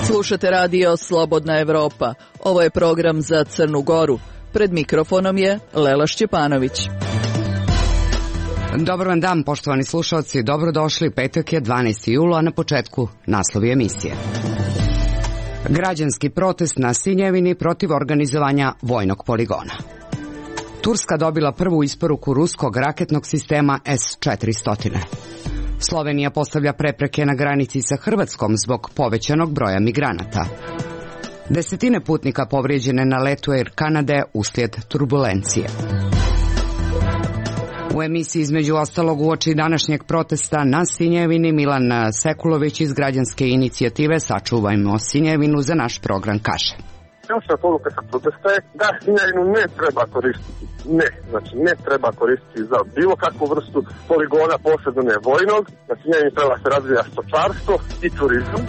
Slušate radio Slobodna Evropa. Ovo je program za Crnu Goru. Pred mikrofonom je Lela Šćepanović. Dobar vam dan, poštovani slušalci. Dobrodošli. Petak je 12. jula, a na početku naslovi emisije. Građanski protest na Sinjevini protiv organizovanja vojnog poligona. Turska dobila prvu isporuku ruskog raketnog sistema S-400. Slovenija postavlja prepreke na granici sa Hrvatskom zbog povećanog broja migranata. Desetine putnika povrijeđene na letu Air Kanade uslijed turbulencije. U emisiji između ostalog uoči današnjeg protesta na Sinjevini Milan Sekulović iz građanske inicijative Sačuvajmo Sinjevinu za naš program kaže. Ključna poruka sa protesta je da Sinjevinu ne treba koristiti. Ne treba koristiti za bilo kakvu vrstu poligona, posebno ne vojnog. Na Sinjevini treba se razvija stočarstvo i turizam.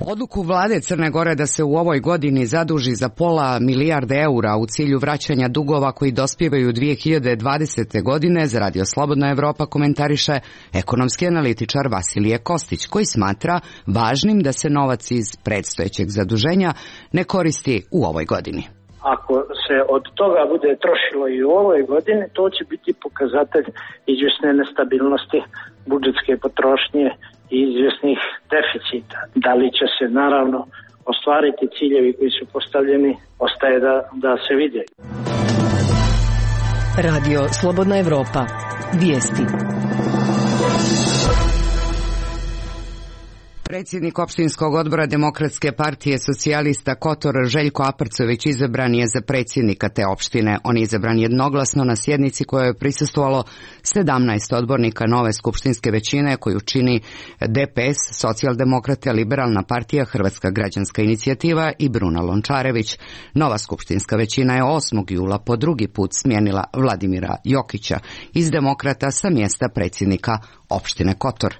Odluku vlade Crne Gore da se u ovoj godini zaduži za $500 milijarde eura u cilju vraćanja dugova koji dospijevaju 2020. godine za Radio Slobodna Evropa komentariše ekonomski analitičar Vasilije Kostić, koji smatra važnim da se novac iz predstojećeg zaduženja ne koristi u ovoj godini. Ako se od toga bude trošilo i u ovoj godini, to će biti pokazatelj izvjesne nestabilnosti budžetske potrošnje i izvjesnih deficita. Da li će se naravno ostvariti ciljevi koji su postavljeni, ostaje da se vide. Radio Slobodna Evropa. Vijesti. Predsjednik opštinskog odbora Demokratske partije socijalista Kotor Željko Aparcović izabran je za predsjednika te opštine. On je izabran jednoglasno na sjednici kojoj je prisustvovalo 17 odbornika nove skupštinske većine koju čini DPS, Socijaldemokrate, Liberalna partija, Hrvatska građanska inicijativa i Bruna Lončarević. Nova skupštinska većina je 8. jula po drugi put smijenila Vladimira Jokića iz Demokrata sa mjesta predsjednika opštine Kotor.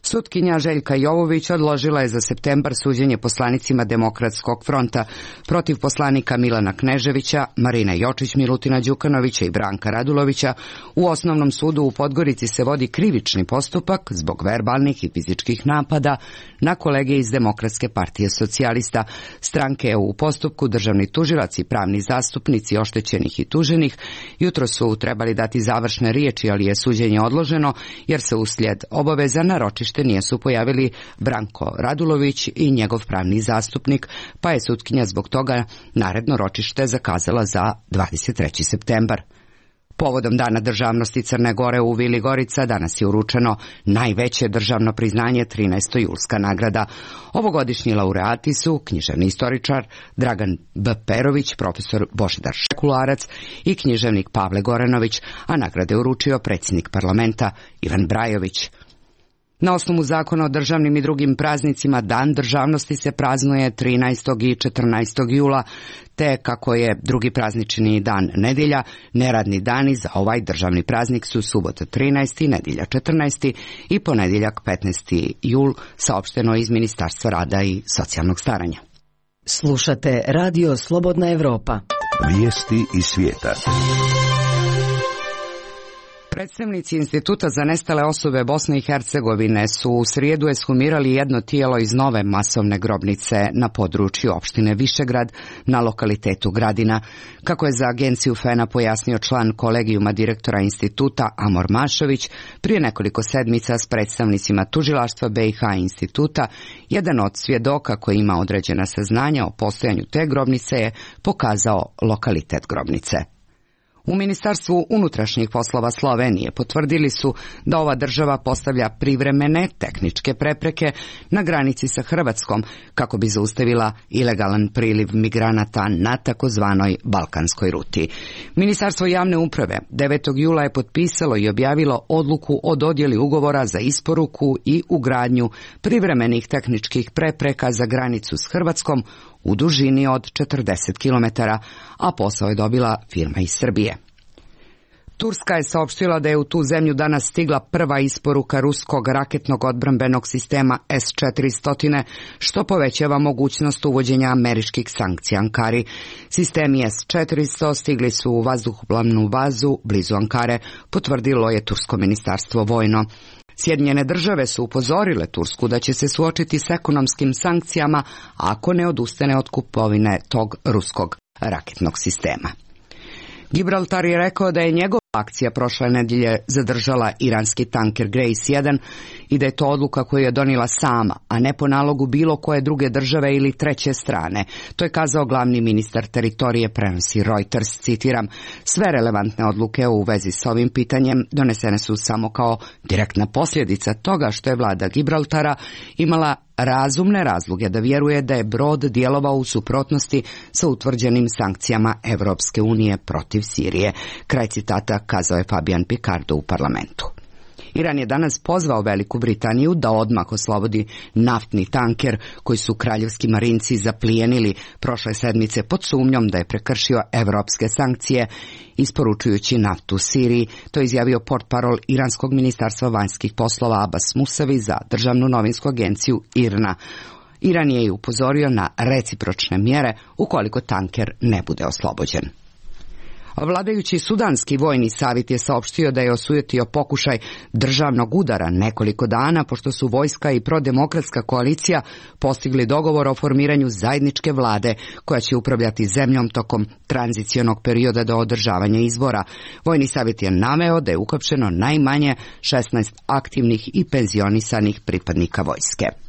Sutkinja Željka Jovović odložila je za septembar suđenje poslanicima Demokratskog fronta protiv poslanika Milana Kneževića, Marine Jočić, Milutina Đukanovića i Branka Radulovića. U Osnovnom sudu u Podgorici se vodi krivični postupak zbog verbalnih i fizičkih napada na kolege iz Demokratske partije socijalista. Stranke je u postupku državni tužilac i pravni zastupnici oštećenih i tuženih. Jutro su trebali dati završne riječi, ali je suđenje odloženo jer se uslijed obaveza na ročište nisu pojavili Branko Radulović i njegov pravni zastupnik, pa je sutkinja zbog toga naredno ročište zakazala za 23. septembar. Povodom Dana državnosti Crne Gore u Vili Gorica danas je uručeno najveće državno priznanje 13. julska nagrada. Ovogodišnji laureati su književni istoričar Dragan B. Perović, profesor Božidar Šekularac i književnik Pavle Goranović, a nagrade uručio predsjednik parlamenta Ivan Brajović. Na osnovu zakona o državnim i drugim praznicima Dan državnosti se praznuje 13. i 14. jula, te kako je drugi praznični dan nedjelja, neradni dani za ovaj državni praznik su subota 13. nedjelja 14. i ponedjeljak 15. jul, saopšteno iz Ministarstva rada i socijalnog staranja. Slušate Radio Slobodna Evropa. Vijesti iz svijeta. Predstavnici Instituta za nestale osobe Bosne i Hercegovine su u srijedu ekshumirali jedno tijelo iz nove masovne grobnice na području opštine Višegrad na lokalitetu Gradina. Kako je za agenciju FENA pojasnio član kolegijuma direktora instituta Amor Mašović, prije nekoliko sedmica s predstavnicima tužilaštva BiH instituta, jedan od svjedoka koji ima određena saznanja o postojanju te grobnice je pokazao lokalitet grobnice. U Ministarstvu unutrašnjih poslova Slovenije potvrdili su da ova država postavlja privremene tehničke prepreke na granici sa Hrvatskom kako bi zaustavila ilegalan priliv migranata na takozvanoj balkanskoj ruti. Ministarstvo javne uprave 9. jula je potpisalo i objavilo odluku o dodjeli ugovora za isporuku i ugradnju privremenih tehničkih prepreka za granicu s Hrvatskom u dužini od 40 km, a posao je dobila firma iz Srbije. Turska je saopštila da je u tu zemlju danas stigla prva isporuka ruskog raketnog odbrambenog sistema S-400, što povećava mogućnost uvođenja američkih sankcija Ankari. Sistemi S-400 stigli su u vazduhoplovnu bazu blizu Ankare, potvrdilo je tursko ministarstvo vojno. Sjedinjene države su upozorile Tursku da će se suočiti s ekonomskim sankcijama ako ne odustane od kupovine tog ruskog raketnog sistema. Gibraltar je rekao da je njegova akcija prošle nedjelje zadržala iranski tanker Grace 1 i da je to odluka koju je donijela sama, a ne po nalogu bilo koje druge države ili treće strane. To je kazao glavni ministar teritorije, prenosi Reuters, citiram, sve relevantne odluke u vezi s ovim pitanjem donesene su samo kao direktna posljedica toga što je vlada Gibraltara imala razumne razloge da vjeruje da je brod djelovao u suprotnosti sa utvrđenim sankcijama Evropske unije protiv Sirije. Kraj citata kazao je Fabian Picardo u parlamentu. Iran je danas pozvao Veliku Britaniju da odmah oslobodi naftni tanker koji su kraljevski marinci zaplijenili prošle sedmice pod sumnjom da je prekršio evropske sankcije isporučujući naftu Siriji. To je izjavio portparol Iranskog ministarstva vanjskih poslova Abbas Musavi za državnu novinsku agenciju IRNA. Iran je i upozorio na recipročne mjere ukoliko tanker ne bude oslobođen. Vladajući sudanski vojni savjet je saopštio da je osujetio pokušaj državnog udara nekoliko dana pošto su vojska i prodemokratska koalicija postigli dogovor o formiranju zajedničke vlade koja će upravljati zemljom tokom tranzicionog perioda do održavanja izbora. Vojni savjet je naveo da je uhapšeno najmanje 16 aktivnih i penzionisanih pripadnika vojske.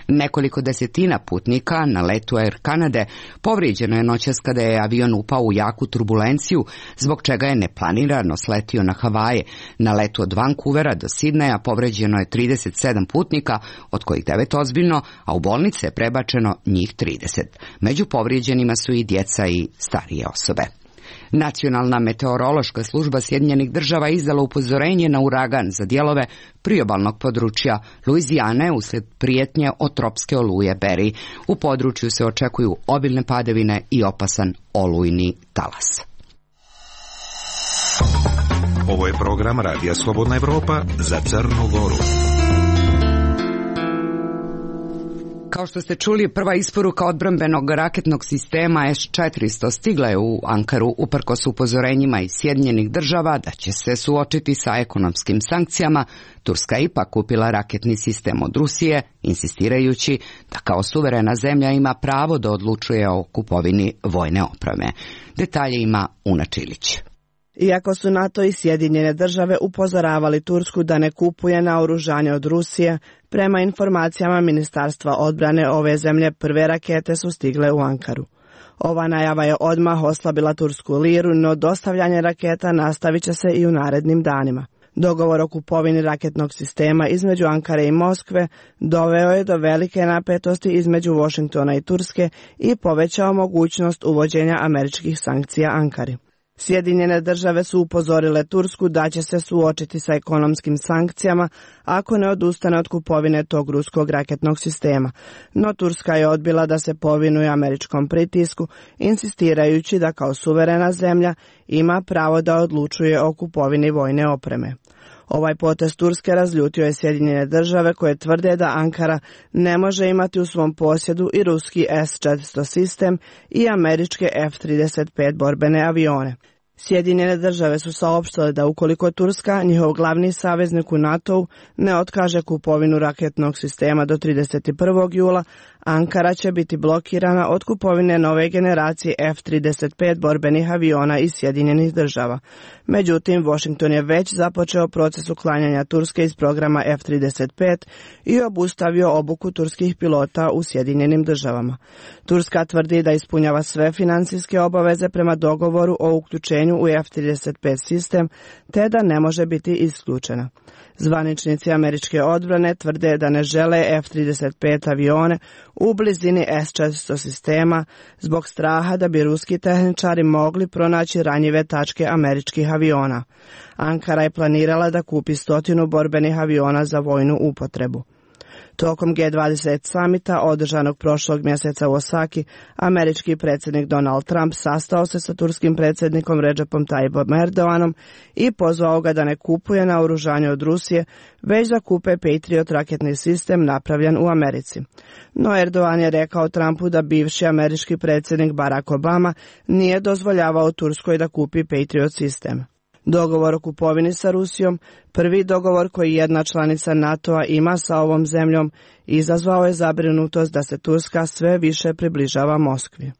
Nekoliko desetina putnika na letu Air Kanade povrijeđeno je noćas kada je avion upao u jaku turbulenciju, zbog čega je neplanirano sletio na Havaje. Na letu od Vancouvera do Sidneja povrijeđeno je 37 putnika, od kojih 9 ozbiljno, a u bolnice je prebačeno njih 30. Među povrijeđenima su i djeca i starije osobe. Nacionalna meteorološka služba Sjedinjenih država izdala upozorenje na uragan za dijelove priobalnog područja Luizijane uslijed prijetnje od tropske oluje Barry. U području se očekuju obilne padavine i opasan olujni talas. Ovo je program Radija Slobodna Evropa za Crnu Goru. Kao što ste čuli, prva isporuka odbrambenog raketnog sistema S-400 stigla je u Ankaru uprkos upozorenjima iz Sjedinjenih država da će se suočiti sa ekonomskim sankcijama. Turska je ipak kupila raketni sistem od Rusije, insistirajući da kao suverena zemlja ima pravo da odlučuje o kupovini vojne opreme. Detalje ima Una Čilić. Iako su NATO i Sjedinjene države upozoravali Tursku da ne kupuje naoružanje od Rusije, prema informacijama Ministarstva odbrane ove zemlje prve rakete su stigle u Ankaru. Ova najava je odmah oslabila tursku liru, no dostavljanje raketa nastavit će se i u narednim danima. Dogovor o kupovini raketnog sistema između Ankare i Moskve doveo je do velike napetosti između Washingtona i Turske i povećao mogućnost uvođenja američkih sankcija Ankari. Sjedinjene države su upozorile Tursku da će se suočiti sa ekonomskim sankcijama ako ne odustane od kupovine tog ruskog raketnog sistema, no Turska je odbila da se povinuje američkom pritisku, insistirajući da kao suverena zemlja ima pravo da odlučuje o kupovini vojne opreme. Ovaj potez Turske razljutio je Sjedinjene države koje tvrde da Ankara ne može imati u svom posjedu i ruski S-400 sistem i američke F-35 borbene avione. Sjedinjene države su saopštile da ukoliko Turska, njihov glavni saveznik u NATO-u, ne otkaže kupovinu raketnog sistema do 31. jula, Ankara će biti blokirana od kupovine nove generacije F-35 borbenih aviona iz Sjedinjenih država. Međutim, Washington je već započeo proces uklanjanja Turske iz programa F-35 i obustavio obuku turskih pilota u Sjedinjenim državama. Turska tvrdi da ispunjava sve financijske obaveze prema dogovoru o uključenju u F-35 sistem, te da ne može biti isključena. Zvaničnici američke odbrane tvrde da ne žele F-35 avione u blizini S-400 sistema zbog straha da bi ruski tehničari mogli pronaći ranjive tačke američkih aviona. Ankara je planirala da kupi 100 borbenih aviona za vojnu upotrebu. Tokom G20 samita održanog prošlog mjeseca u Osaki, američki predsjednik Donald Trump sastao se sa turskim predsjednikom Recepom Tayyipom Erdoganom i pozvao ga da ne kupuje naoružanje od Rusije, već da kupe Patriot raketni sistem napravljen u Americi. No Erdogan je rekao Trumpu da bivši američki predsjednik Barack Obama nije dozvoljavao Turskoj da kupi Patriot sistem. Dogovor o kupovini sa Rusijom, prvi dogovor koji jedna članica NATO-a ima sa ovom zemljom, izazvao je zabrinutost da se Turska sve više približava Moskvi.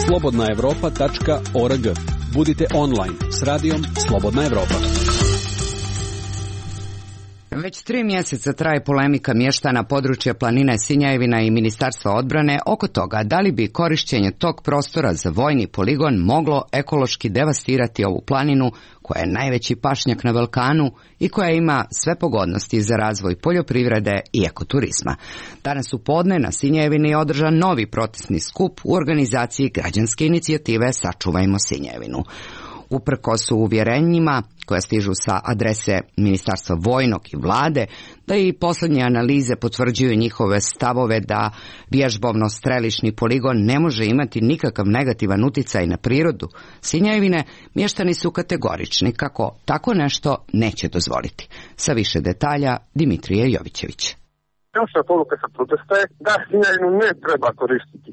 slobodnaevropa.org. Budite online s radijom Slobodna Evropa. Već 3 mjeseca traje polemika mještana područja planine Sinjajevina i Ministarstva odbrane oko toga da li bi korištenje tog prostora za vojni poligon moglo ekološki devastirati ovu planinu koja je najveći pašnjak na Balkanu i koja ima sve pogodnosti za razvoj poljoprivrede i ekoturizma. Danas u podne na Sinjajevini je održan novi protestni skup u organizaciji građanske inicijative Sačuvajmo Sinjajevinu. Uprkos uvjerenjima koja stižu sa adrese Ministarstva vojnog i vlade, da i posljednje analize potvrđuju njihove stavove da vježbovno-strelišni poligon ne može imati nikakav negativan utjecaj na prirodu Sinjajevine, mještani su kategorični kako tako nešto neće dozvoliti. Sa više detalja Dimitrije Jovićević. Ključna poruka sa protesta je da Sinjajevinu ne treba koristiti.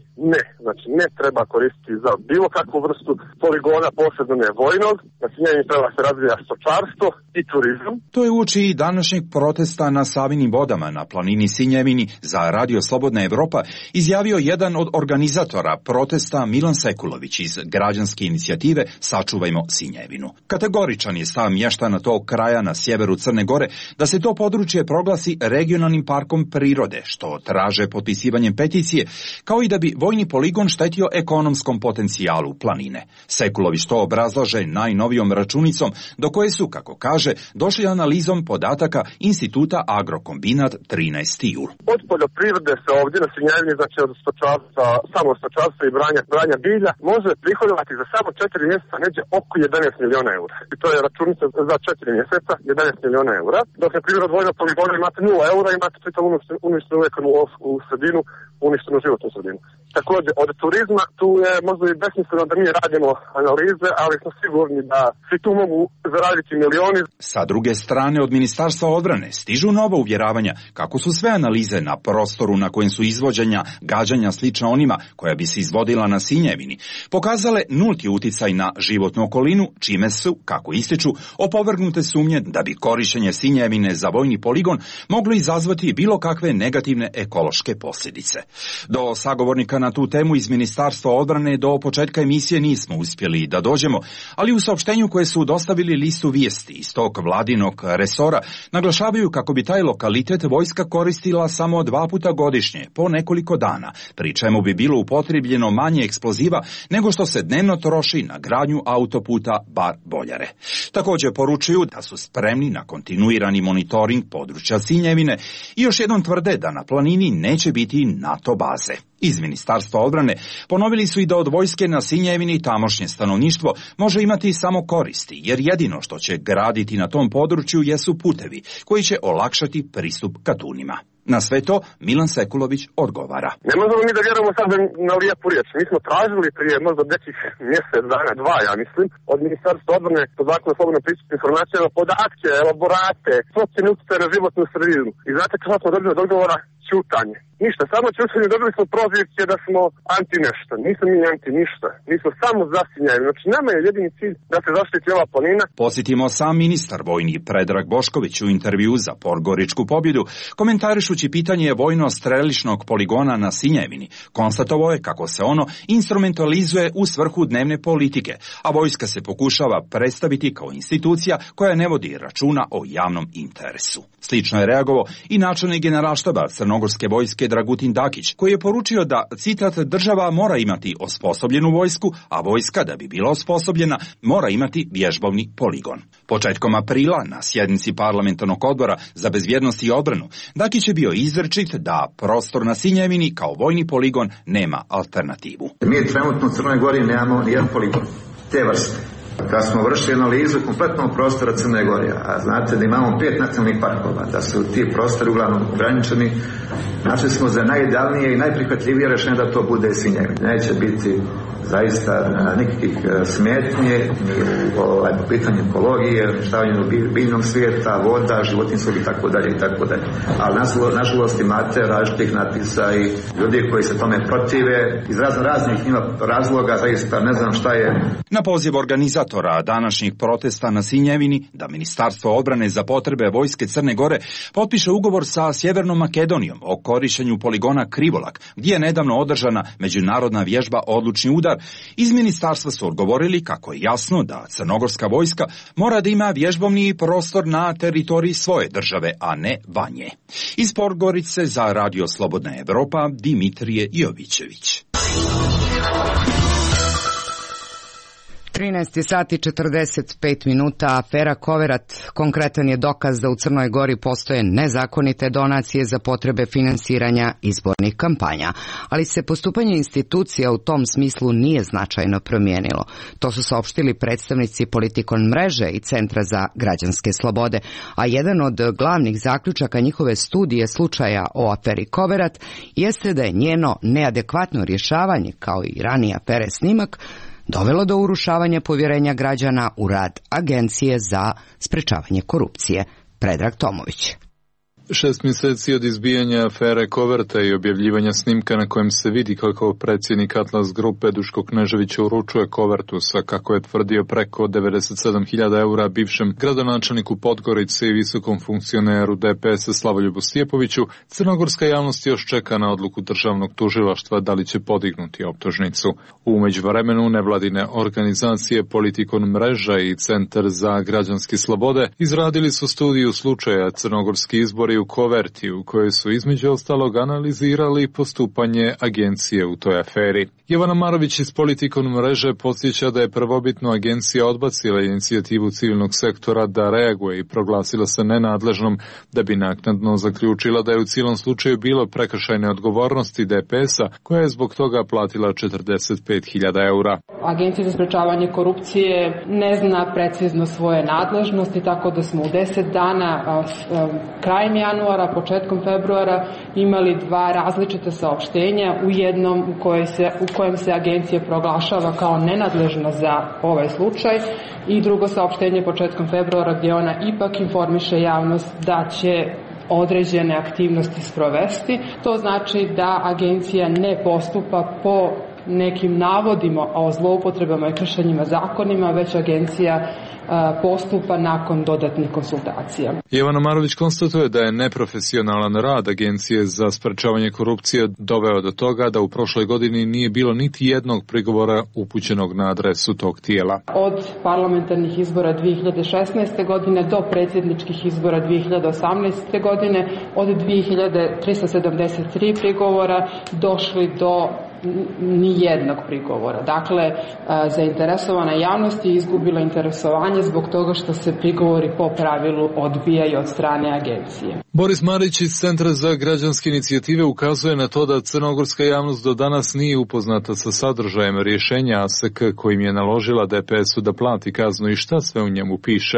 Ne treba koristiti za bilo kakvu vrstu poligona, posebno ne vojnog. Na Sinjajevini treba se razvija stočarstvo i turizam. To je uoči i današnjeg protesta na Savinim vodama na planini Sinjajevini za Radio Slobodna Evropa izjavio jedan od organizatora protesta Milan Sekulović iz građanske inicijative Sačuvajmo Sinjajevinu. Kategoričan je stav mještana tog kraja na sjeveru Crne Gore da se to područje proglasi regionalnim parkom prirode, što traže potpisivanjem peticije, kao i da bi vojni poligon štetio ekonomskom potencijalu planine. Sekulović to obrazlaže najnovijom računicom do koje su, kako kaže, došli analizom podataka Instituta Agrokombinat 13. jul. Od poljoprivrede se ovdje na Sinjajevini, znači od stočarstva, samo stočarstva i branja bilja, može prihodovati za samo 4 mjeseca neđe oko 11 miliona eura. I to je računica za 4 mjeseca, 11 miliona eura. Dok je primjer od vojnog poligona imate 0 eura, imate čitav uništenu ekonomsku sredinu, uništenu životnu sredinu. Također, od turizma tu je možda i besmisleno da mi radimo analize, ali smo sigurni da svi tu mogu zaraditi milioni. Sa druge strane, od Ministarstva odbrane stižu nova uvjeravanja kako su sve analize na prostoru na kojem su izvođenja gađanja slična onima koja bi se izvodila na Sinjajevini pokazale nulti uticaj na životnu okolinu, čime su, kako ističu, opovrgnute sumnje da bi korištenje Sinjajevine za vojni poligon moglo izazvati bilo kakve negativne ekološke posljedice. Do sagovornika na tu temu iz Ministarstva odbrane do početka emisije nismo uspjeli da dođemo, ali u saopštenju koje su dostavili listu vijesti iz tog vladinog resora naglašavaju kako bi taj lokalitet vojska koristila samo 2 puta godišnje, po nekoliko dana, pri čemu bi bilo upotrijebljeno manje eksploziva nego što se dnevno troši na gradnju autoputa Bar-Boljare. Također poručuju da su spremni na kontinuirani monitoring područja Sinjajevine i još jednom tvrde da na planini neće biti NATO baze. Iz Ministarstva odbrane ponovili su i da od vojske na Sinjajevini tamošnje stanovništvo može imati samo koristi, jer jedino što će graditi na tom području jesu putevi koji će olakšati pristup ka Dunima. Na sve to Milan Sekulović odgovara. Ne možemo mi da vjerujemo sad na lijepu riječ. Mi smo tražili prije možda nekih mjesec dana, 2, ja mislim, od Ministarstva odbrane po zakonu o slobodnom pristupu informacijama podatke, elaborate, procjene utjecaja na životnu sredinu. I znate kako smo dobili od odgovora? Ćutanje. Ništa, samo ćutanje, dobili smo prozivke da smo anti nešto. Nismo mi anti ništa. Mi smo samo za Sinjajevinu. Znači nama je jedini cilj da se zaštiti ova planina. Posjetimo sam ministar vojni Predrag Bošković u intervju za Podgoričku pobjedu, komentarišući pitanje vojno-strelišnog poligona na Sinjajevini. Konstatovao je kako se ono instrumentalizuje u svrhu dnevne politike, a vojska se pokušava predstaviti kao institucija koja ne vodi računa o javnom interesu. Slično je reagovao i načelnik generalštaba Crnogorske vojske Dragutin Dakić, koji je poručio da, citat, država mora imati osposobljenu vojsku, a vojska da bi bila osposobljena mora imati vježbovni poligon. Početkom aprila na sjednici parlamentarnog odbora za bezbjednost i odbranu Dakić je bio izričit da prostor na Sinjajevini kao vojni poligon nema alternativu. Mi trenutno u Crnoj Gori nemamo nijedan poligon te vrste. Kad smo vršili analizu kompletnog prostora Crne Gore, a znate da imamo 5 nacionalnih parkova, da su ti prostori uglavnom ograničeni, našli smo za najidealnije i najprihvatljivije rješenje da to bude Svinjevin. Neće biti zaista nikakvih smetnje ni po pitanju ekologije, uništavanju biljnog svijeta, voda, životinjskog i tako dalje. Ali nažalost imate različitih natpisa i ljudi koji se tome protive iz raznih razloga, zaista ne znam šta je. Na poziv organizatora današnjih protesta na Sinjevini da Ministarstvo odbrane za potrebe Vojske Crne Gore potpiše ugovor sa Sjevernom Makedonijom o korištenju poligona Krivolak, gdje je nedavno održana međunarodna vježba Odlučni udar, iz ministarstva su odgovorili kako je jasno da crnogorska vojska mora da ima vježbovni prostor na teritoriji svoje države, a ne vanje. Iz Podgorice za Radio Slobodna Evropa, Dimitrije Jovićević. 13 sati 45 minuta, afera Koverat konkretan je dokaz da u Crnoj Gori postoje nezakonite donacije za potrebe finansiranja izbornih kampanja, ali se postupanje institucija u tom smislu nije značajno promijenilo. To su saopštili predstavnici Politikon mreže i Centra za građanske slobode, a jedan od glavnih zaključaka njihove studije slučaja o aferi Koverat jeste da je njeno neadekvatno rješavanje, kao i ranije afere Snimak, dovelo do urušavanja povjerenja građana u rad Agencije za sprečavanje korupcije. Predrag Tomović. 6 mjeseci od izbijanja afere Koverta i objavljivanja snimka na kojem se vidi kako predsjednik Atlas grupe Duško Knežević uručuje kovertu sa, kako je tvrdio, preko 97.000 eura bivšem gradonačelniku Podgorice i visokom funkcioneru DPS-a Slavoljubu Stjepoviću, crnogorska javnost još čeka na odluku državnog tužilaštva da li će podignuti optužnicu. U međuvremenu nevladine organizacije Politikon mreža i Centar za građanske slobode izradili su studiju slučaja Crnogorski izbori u Koverti, u kojoj su između ostalog analizirali postupanje agencije u toj aferi. Jovana Marović iz Politikon mreže podsjeća da je prvobitno agencija odbacila inicijativu civilnog sektora da reaguje i proglasila se nenadležnom, da bi naknadno zaključila da je u cijelom slučaju bilo prekršajne odgovornosti DPS-a, koja je zbog toga platila 45.000 eura. Agencija za sprečavanje korupcije ne zna precizno svoje nadležnosti, tako da smo u 10 dana krajem januara, početkom februara imali 2 različita saopštenja, u jednom u kojem se agencija proglašava kao nenadležna za ovaj slučaj i drugo saopštenje početkom februara gdje ona ipak informiše javnost da će određene aktivnosti sprovesti. To znači da agencija ne postupa po nekim navodima o zloupotrebama i kršenjima zakonima, već agencija postupa nakon dodatnih konsultacija. Jovana Marović konstatuje da je neprofesionalan rad Agencije za sprečavanje korupcije doveo do toga da u prošloj godini nije bilo niti jednog prigovora upućenog na adresu tog tijela. Od parlamentarnih izbora 2016. godine do predsjedničkih izbora 2018. godine od 2373 prigovora došli do nijednog prigovora. Dakle, zainteresovana javnost je izgubila interesovanje zbog toga što se prigovori po pravilu odbijaju od strane agencije. Boris Marić iz Centra za građanske inicijative ukazuje na to da crnogorska javnost do danas nije upoznata sa sadržajem rješenja ASK kojim je naložila DPS-u da plati kaznu i šta sve u njemu piše.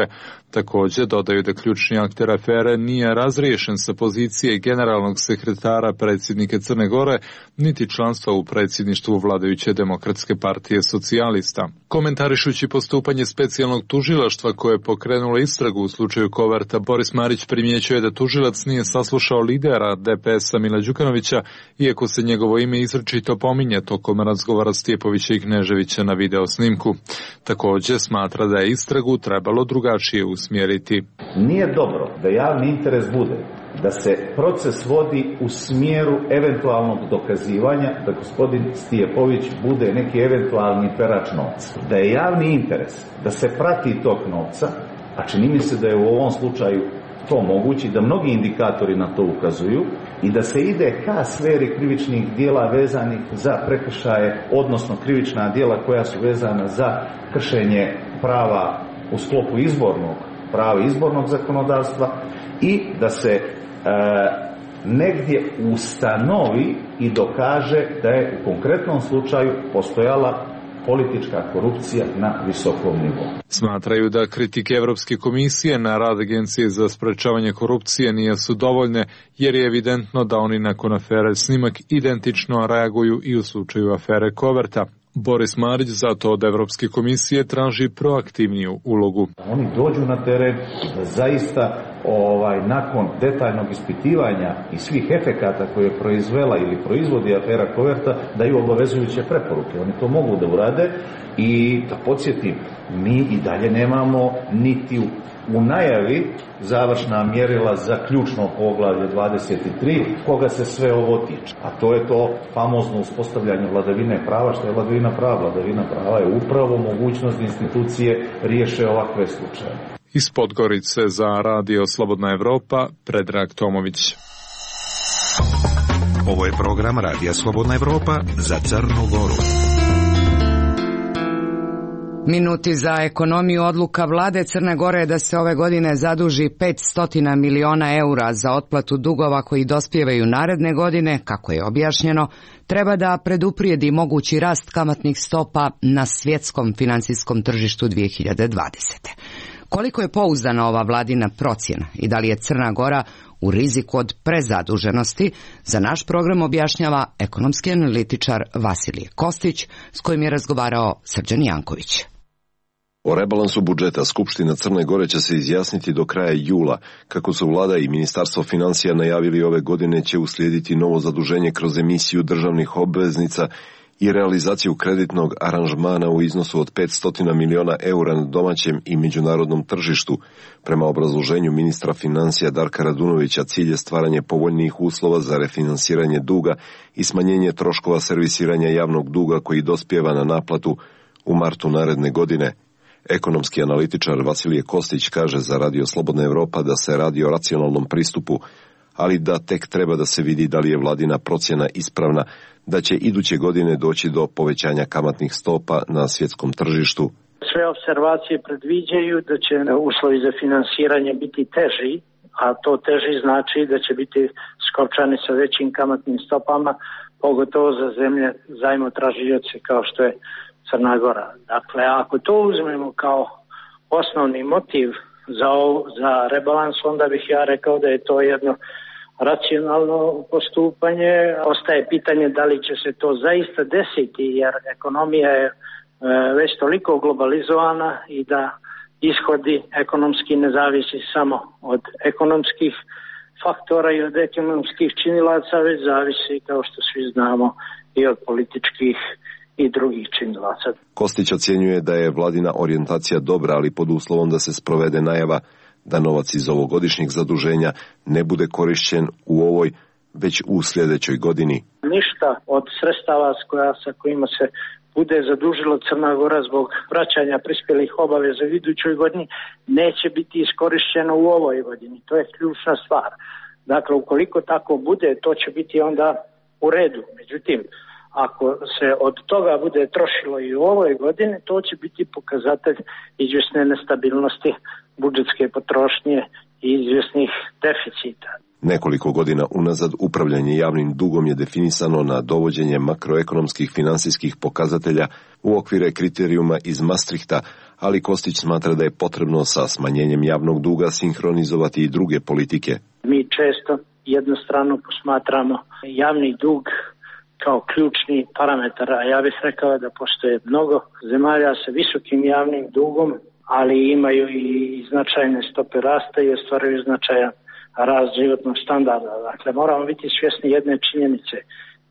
Također dodaju da ključni akter afere nije razriješen sa pozicije generalnog sekretara predsjednika Crne Gore, niti članstva u predsjedništvu vladajuće Demokratske partije socijalista. Komentarišući postupanje specijalnog tužilaštva koje je pokrenulo istragu u slučaju Koverta, Boris Marić primjećuje da tužilac nije saslušao lidera DPS-a Mila Đukanovića, iako se njegovo ime izričito pominje tokom razgovora Stjepovića i Kneževića na video snimku. Također smatra da je istragu trebalo drugačije usmjeriti. Nije dobro da javni interes bude da se proces vodi u smjeru eventualnog dokazivanja da gospodin Stjepović bude neki eventualni perač novca. Da je javni interes da se prati tog novca, a čini mi se da je u ovom slučaju to mogući, da mnogi indikatori na to ukazuju i da se ide ka sferi krivičnih dijela vezanih za prekršaje, odnosno krivična djela koja su vezana za kršenje prava u sklopu izbornog zakonodavstva i da se negdje ustanovi i dokaže da je u konkretnom slučaju postojala politička korupcija na visokom nivou. Smatraju da kritike Evropske komisije na rad Agencije za sprečavanje korupcije nisu dovoljne, jer je evidentno da oni nakon afere Snimak identično reaguju i u slučaju afere Koverta. Boris Marić zato od Evropske komisije traži proaktivniju ulogu. Oni dođu na teren da zaista nakon detaljnog ispitivanja i svih efekata koje je proizvela ili proizvodi afera Koverta daju obavezujuće preporuke. Oni to mogu da urade i da podsjetim, mi i dalje nemamo niti u najavi završna mjerila za ključno poglavlje 23 koga se sve ovo tiče. A to je to famozno uspostavljanje vladavine prava. Što je vladavina prava? Vladavina prava je upravo mogućnost da institucije riješe ovakve slučaje. Iz Podgorice za Radio Slobodna Evropa, Predrag Tomović. Ovo je program Radija Slobodna Evropa za Crnu Goru. Minuti za ekonomiju. Odluka vlade Crne Gore je da se ove godine zaduži 500 miliona eura za otplatu dugova koji dospijevaju naredne godine, kako je objašnjeno, treba da preduprijedi mogući rast kamatnih stopa na svjetskom financijskom tržištu 2020. Koliko je pouzdana ova vladina procjena i da li je Crna Gora u riziku od prezaduženosti, za naš program objašnjava ekonomski analitičar Vasilije Kostić, s kojim je razgovarao Srđan Janković. O rebalansu budžeta Skupština Crne Gore će se izjasniti do kraja jula. Kako su vlada i Ministarstvo financija najavili, ove godine će uslijediti novo zaduženje kroz emisiju državnih obveznica i realizaciju kreditnog aranžmana u iznosu od 500 miliona eura na domaćem i međunarodnom tržištu. Prema obrazloženju ministra financija Darka Radunovića, cilj je stvaranje povoljnijih uslova za refinansiranje duga i smanjenje troškova servisiranja javnog duga koji dospijeva na naplatu u martu naredne godine. Ekonomski analitičar Vasilije Kostić kaže za Radio Slobodna Evropa da se radi o racionalnom pristupu, ali da tek treba da se vidi da li je vladina procjena ispravna, da će iduće godine doći do povećanja kamatnih stopa na svjetskom tržištu. Sve observacije predviđaju da će uslovi za finansiranje biti teži, a to teži znači da će biti skopčani sa većim kamatnim stopama, pogotovo za zemlje zajmotražioce kao što je Crna Gora. Dakle, ako to uzmemo kao osnovni motiv za rebalans, onda bih ja rekao da je to jedno racionalno postupanje. Ostaje pitanje da li će se to zaista desiti, jer ekonomija je već toliko globalizovana i da ishodi ekonomski ne zavisi samo od ekonomskih faktora i od ekonomskih činilaca, već zavisi, kao što svi znamo, i od političkih i drugih činilaca. Kostić ocjenjuje da je vladina orijentacija dobra, ali pod uslovom da se sprovede najava da novac iz ovogodišnjeg zaduženja ne bude korišćen u ovoj, već u sljedećoj godini. Ništa od sredstava sa kojima se bude zadužilo Crna Gora zbog vraćanja prispjelih obaveza u idućoj godini neće biti iskorišćeno u ovoj godini. To je ključna stvar. Dakle, ukoliko tako bude, to će biti onda u redu. Međutim, ako se od toga bude trošilo i u ovoj godini, to će biti pokazatelj izvjesne nestabilnosti budžetske potrošnje i izvjesnih deficita. Nekoliko godina unazad upravljanje javnim dugom je definisano na dovođenje makroekonomskih financijskih pokazatelja u okvire kriterijuma iz Maastrichta, ali Kostić smatra da je potrebno sa smanjenjem javnog duga sinhronizovati i druge politike. Mi često jednostrano posmatramo javni dug kao ključni parametar, a ja bih rekao da postoje mnogo zemalja sa visokim javnim dugom, ali imaju i značajne stope rasta i ostvaruju značajan rast životnog standarda. Dakle, moramo biti svjesni jedne činjenice.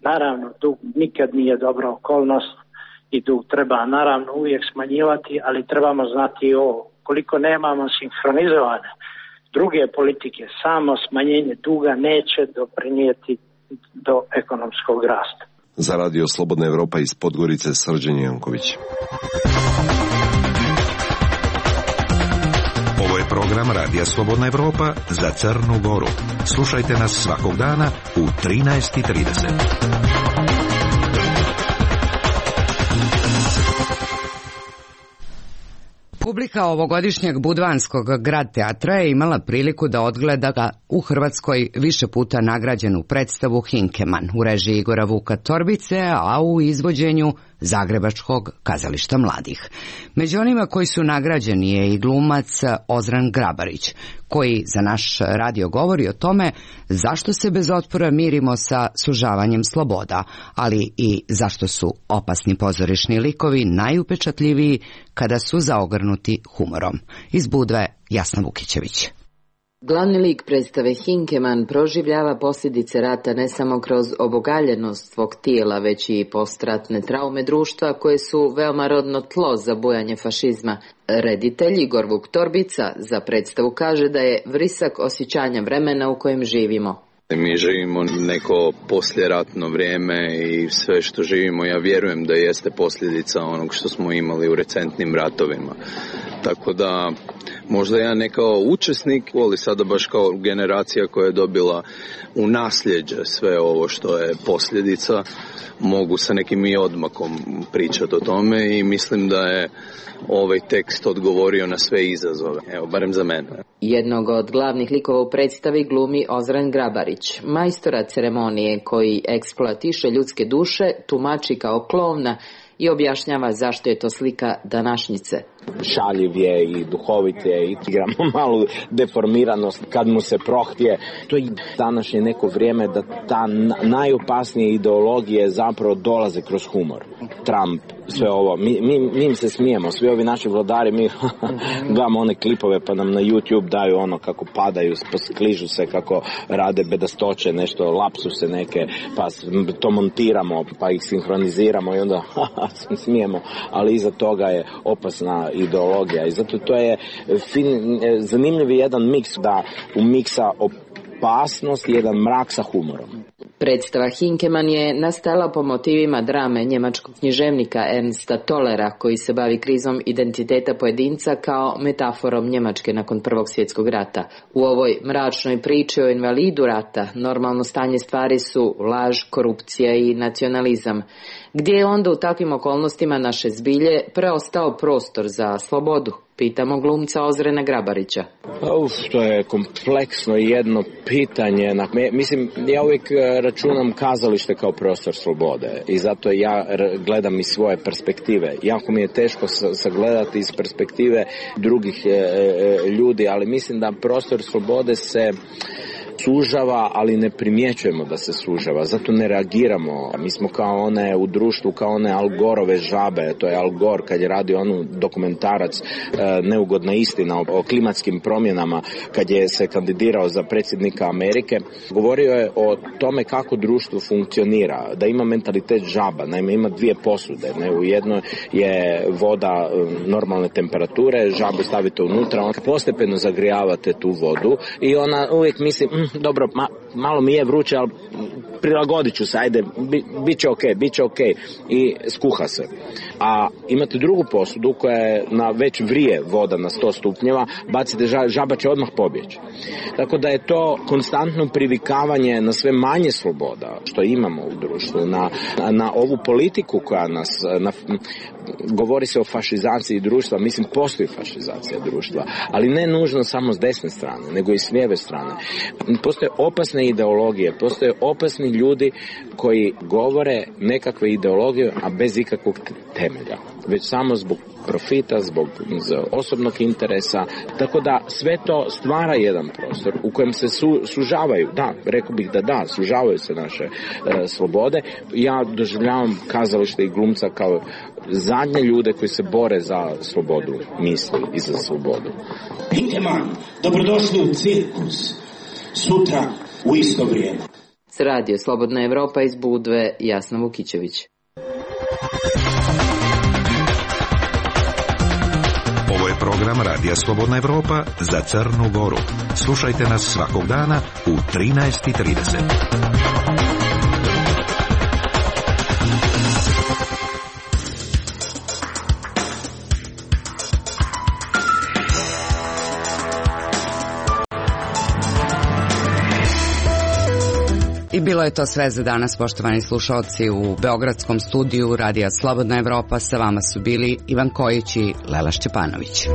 Naravno, dug nikad nije dobra okolnost i dug treba naravno uvijek smanjivati, ali trebamo znati i ovo. Koliko nemamo sinhronizovane druge politike, samo smanjenje duga neće doprinijeti do ekonomskog rasta. Za Radio Slobodna Evropa iz Podgorice, Srđan Janković. Ovo je program Radija Slobodna Evropa za Crnu Goru. Slušajte nas svakog dana u 13:30. Publika ovogodišnjeg Budvanskog grad teatra je imala priliku da odgleda ga u Hrvatskoj više puta nagrađenu predstavu Hinkeman u režiji Igora Vuka Torbice, a u izvođenju Zagrebačkog kazališta mladih. Među onima koji su nagrađeni je i glumac Ozren Grabarić, koji za naš radio govori o tome zašto se bez otpora mirimo sa sužavanjem sloboda, ali i zašto su opasni pozorišni likovi najupečatljiviji kada su zaogrnuti humorom. Iz Budve, Jasna Vukićević. Glavni lik predstave Hinkeman proživljava posljedice rata ne samo kroz obogaljenost svog tijela, već i postratne traume društva koje su veoma rodno tlo za bujanje fašizma. Reditelj Igor Vuk Torbica za predstavu kaže da je vrisak osjećanja vremena u kojem živimo. Mi živimo neko posljeratno vrijeme i sve što živimo, ja vjerujem da jeste posljedica onog što smo imali u recentnim ratovima. Tako da možda ja ne kao učesnik, ali sada baš kao generacija koja je dobila u nasljeđe sve ovo što je posljedica, mogu sa nekim i odmakom pričati o tome i mislim da je ovaj tekst odgovorio na sve izazove, evo, barem za mene. Jednog od glavnih likova u predstavi glumi Ozren Grabarić, majstora ceremonije koji eksploatiše ljudske duše, tumači kao klovna i objašnjava zašto je to slika današnjice. Šaljiv je i duhovit je i igramo malu deformiranost kad mu se prohtije. To je današnje neko vrijeme da ta najopasnije ideologije zapravo dolaze kroz humor. Trump, sve ovo, mi im se smijemo, svi ovi naši vladari, mi gledamo one klipove pa nam na YouTube daju ono kako padaju, skližu se, kako rade bedastoće, nešto, lapsuse neke, pa to montiramo, pa ih sinhroniziramo i onda smijemo, ali iza toga je opasna ideologija i zato to je zanimljiv jedan miks, da u miksa opasnost i jedan mrak sa humorom. Predstava Hinkeman je nastala po motivima drame njemačkog književnika Ernsta Tollera, koji se bavi krizom identiteta pojedinca kao metaforom Njemačke nakon Prvog svjetskog rata. U ovoj mračnoj priči o invalidu rata normalno stanje stvari su laž, korupcija i nacionalizam. Gdje je onda u takvim okolnostima naše zbilje preostao prostor za slobodu? Pitamo glumca Ozrena Grabarića. To je kompleksno jedno pitanje. Mislim, ja uvijek računam kazalište kao prostor slobode i zato ja gledam iz svoje perspektive. Jako mi je teško sagledati iz perspektive drugih ljudi, ali mislim da prostor slobode se sužava, ali ne primjećujemo da se sužava, zato ne reagiramo. Mi smo kao one u društvu, kao one Al Gorove žabe, to je Al Gore kad je radio onu dokumentarac Neugodna istina o klimatskim promjenama, kad je se kandidirao za predsjednika Amerike, govorio je o tome kako društvo funkcionira, da ima mentalitet žaba, naime ima dvije posude, ne? U jednoj je voda normalne temperature, žabu stavite unutra, on postepeno zagrijavate tu vodu i ona uvijek misli, dobro, malo mi je vruće, ali prilagodit ću se, ajde, bit će ok, i skuha se. A imate drugu posudu koja je već vrije voda na 100 stupnjeva, bacite žaba će odmah pobjeći. Tako da je to konstantno privikavanje na sve manje sloboda što imamo u društvu, na ovu politiku koja nas, govori se o fašizaciji društva, mislim postoji fašizacija društva, ali ne nužno samo s desne strane, nego i s lijeve strane. Postoje opasne ideologije, postoje opasni ljudi koji govore nekakve ideologije, a bez ikakvog temelja, već samo zbog profita, zbog osobnog interesa, tako da sve to stvara jedan prostor u kojem se sužavaju, da, rekao bih da, sužavaju se naše slobode. Ja doživljavam kazalište i glumca kao zadnje ljude koji se bore za slobodu misli i za slobodu. Hinkeman, dobrodošli u cirkus, sutra u isto vrijeme. Radio Slobodna Evropa iz Budve, Jasna Vukićević. Ovo je program Radija Slobodna Evropa za Crnu Goru. Slušajte nas svakog dana u 13:30. I bilo je to sve za danas, poštovani slušalci. U beogradskom studiju Radija Slobodna Evropa sa vama su bili Ivan Kojić i Lela Šćepanović.